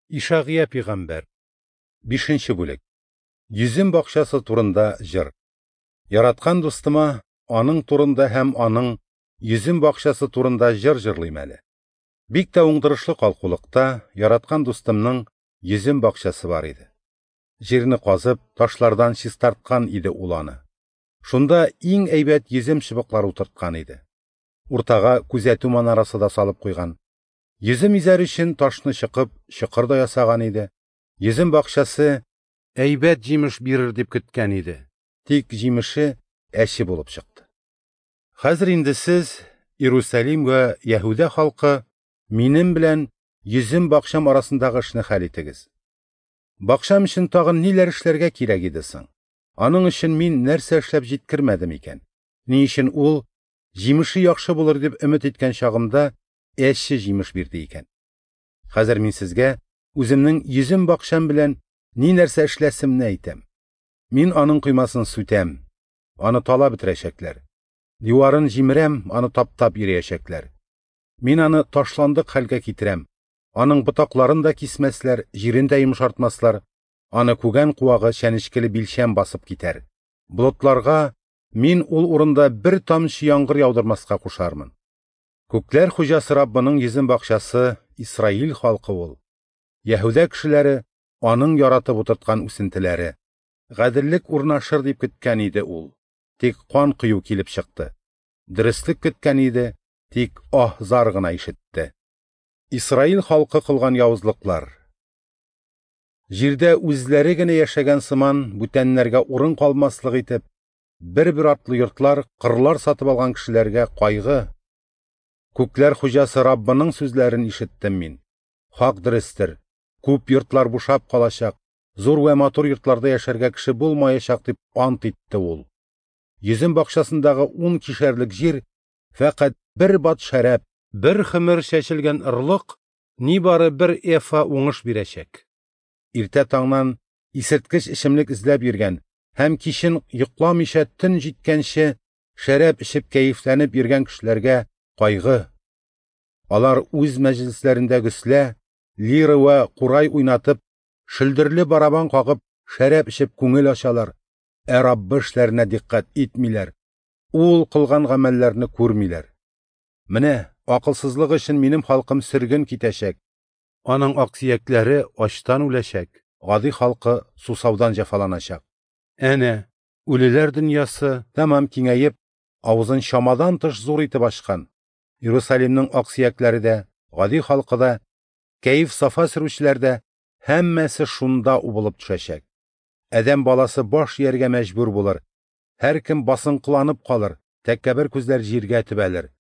Ишагыя пигамбәр. Бишенче бүлек. Йөзем бакчасы турында җыр. Яраткан дустыма аның турында һәм аның йөзем бакчасы турында җыр җырлыйм әле. Бик тә уңдырышлы калкулыкта яраткан дустымның йөзем бакчасы бар иде. Җирне казып, ташлардан чистарткан иде ул аны. Шунда иң әйбәт йөзем чыбыклары утырткан иде. Уртага күзәтү манарасы да салып куйган. Йөзем изәр өчен ташны чыкып, чокыр да ясаган иде. Йөзем бакчасы әйбәт җимеш бирер дип көткән иде. Тик җимеше әче булып чыкты. Хәзер инде сез, Иерусалим вә Яһүдә халкы, минем белән йөзем бакчам арасындагы эшне хәл итегез. Бакчам өчен тагын ниләр эшләргә кирәк иде соң? Аның өчен мин нәрсә эшләп җиткермәдем икән? Ни өчен ул җимеше яхшы булыр дип өмет иткән чагымда әче җимеш бирде икән? Хәзер мин сезгә үземнең йөзем бакчам белән ни нәрсә эшләсемне әйтәм. Мин аның коймасын сүтәм, аны талап бетерәчәкләр. Диварын җимерәм, аны таптап йөриячәкләр. Мин аны ташландык хәлгә китерәм. Аның ботакларын да кисмәсләр, җирен дә йомшартмаслар. Аны күгән куагы чәнечкеле билчәм басып китәр. Болытларга мин ул урында бер тамчы яңгыр яудырмаска кушармын. Күкләр хуҗасы Раббының йөзем бакчасы Исраил халкы ул. Яһүдә кешеләре аның яратып утырткан үсентеләре. Гаделлек урнашыр дип көткән иде ул. Тик кан кою килеп чыкты. Дөреслек көткән иде, тик аһ-зар гына ишетте. Исраил халкы кылган явызлыклар. Җирдә үзләре генә яшәгән сыман бүтәннәргә урын калмаслык итеп, бер-бер артлы йортлар, кырлар сатып алган кешеләргә кайгы. Күкләр хуҗасы Раббының сүзләрен ишеттем мин. Хак дөрестер. Күп йортлар бушап калачак, зур вә матур йортларда яшәргә кеше булмаячак дип ант итте ул. Йөзем бакчасындагы 10 кишәрлек җир фәкать бер бат шәраб, бер хымер чәчелгән ырлык нибары бер эфа уңыш бирәчәк. Иртә таңнан исерткеч эчемлек эзләп йөргән һәм кичен йокламыйча төн җиткәнче шәраб эчеп кәефләнеп йөргән кешеләргә кайгы. Алар үз мәҗлесләрендә гөслә, лира вә курай уйнатып, шөлдерле барабан кагып, шәраб эчеп күңел ачалар, ә Раббы эшләренә дикъкать итмиләр, ул кылган гамәлләрне күрмиләр. Менә акылсызлык өчен минем халкым сөрген китәчәк. Аның аксөякләре ачтан үләчәк, гади халкы сусаудан җәфаланачак. Әнә, үлеләр дөньясы тәмам киңәеп, авызын чамадан тыш зур итеп ачкан. Иерусалимның аксөякләре дә, гади халкы да, кәеф-сафа сөрүчеләр дә һәммәсе шунда убылып төшәчәк. Адәм баласы баш ияргә мәҗбүр булыр. Һәркем басынкыланып калыр, тәкәббер күзләр җиргә төбәлер.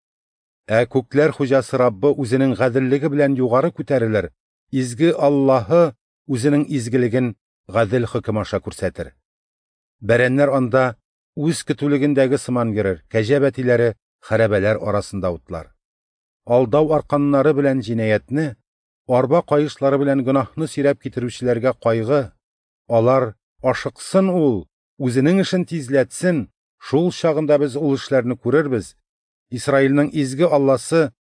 Ә күкләр хуҗасы Раббы үзенең гаделлеге белән югары күтәрелер, изге Аллаһы үзенең изгелеген гадел хөкем аша күрсәтер. Бәрәннәр анда үз көтүлегендәге сыман йөрер, кәҗә бәтиләре хәрабәләр арасында утлар. Алдау арканнары белән җинаятьне, арба каешлары белән гөнаһны сөйрәп китерүчеләргә кайгы. Алар ашыксын ул, үзенең эшен тизләтсен, шул чагында без ул эшләрне күрербез. Исраилнең изге Алласы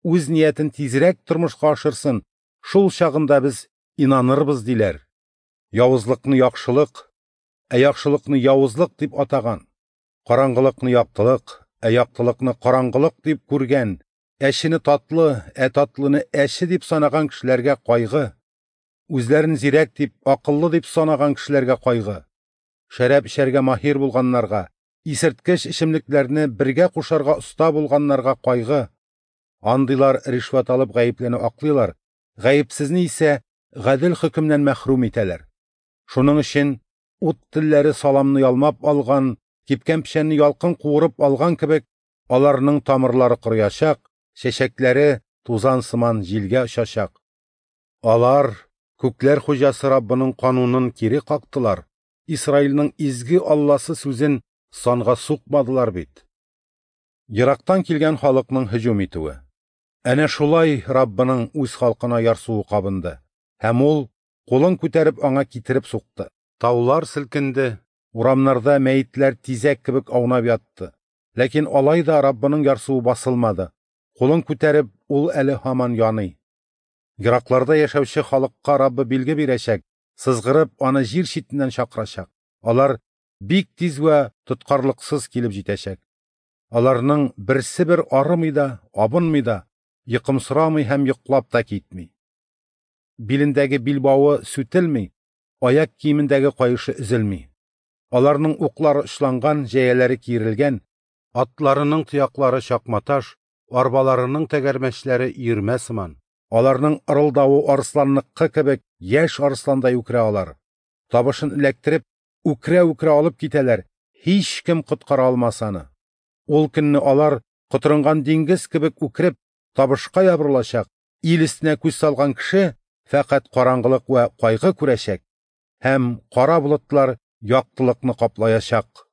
үз ниятен тизрәк тормышка ашырсын, шул чагында без инанырбыз диләр. Явызлыкны яхшылык, ә яхшылыкны явызлык дип атаган, караңгылыкны яктылык, ә яктылыкны караңгылык дип күргән, әчене татлы, ә татлыны әче дип санаган кешеләргә кайгы. Үзләрен зирәк дип, акыллы дип санаган кешеләргә кайгы. Шәраб эчәргә маһир булганнарга, исерткеч эчемлекләрне бергә кушарга оста булганнарга кайгы. Андыйлар ришвәт алып гаеплене аклыйлар, гаепсезне исә гадел хөкемнән мәхрүм итәләр. Шуның өчен ут телләре саламны ялмап алган, кипкән печәнне ялкын куырып алган кебек, аларның тамырлары корыячак, чәчәкләре тузан сыман җилгә очачак. Алар күкләр хуҗасы Раббының канунын кире кактылар, Исраилнең изге Алласы сүзен санга сукмадылар бит. Ерактан килгән халыкның һөҗүм итүе. Әнә шулай Раббының үз халкына ярсуы кабынды, һәм ул кулын күтәреп аңа китереп сукты. Таулар селкенде, урамнарда мәетләр тизәк кебек аунап ятты. Ләкин алай да Раббының ярсуы басылмады. Кулын күтәреп, ул әле һаман яный. Еракларда яшәүче халыкка Раббы билге бирәчәк, сызгырып, аны җир читеннән чакырачак. Алар бик тиз вә тоткарлыксыз килеп җитәчәк. Аларның берсе бер арымый да, абынмый да, йокымсырамый һәм йоклап та китми. Билендәге билбавы сүтелми, аяк киемендәге каешы өзелми. Аларның уклары очланган, җәяләре киерелгән, атларының тояклары чакматаш, арбаларының тәгәрмәчләре өермә сыман. Аларның ырылдавы арысланныкы кебек, яшь арысландай үкерә алар. Табышын эләктереп, үкерә-үкерә алып китәләр, һичкем коткара алмас аны. Ул көнне алар, котырынган диңгез кебек үкереп, табышка ябырылачак, ил өстенә күз салган кеше фәкать караңгылык вә кайгы күрәчәк, һәм кара болытлар яктылыкны каплаячак.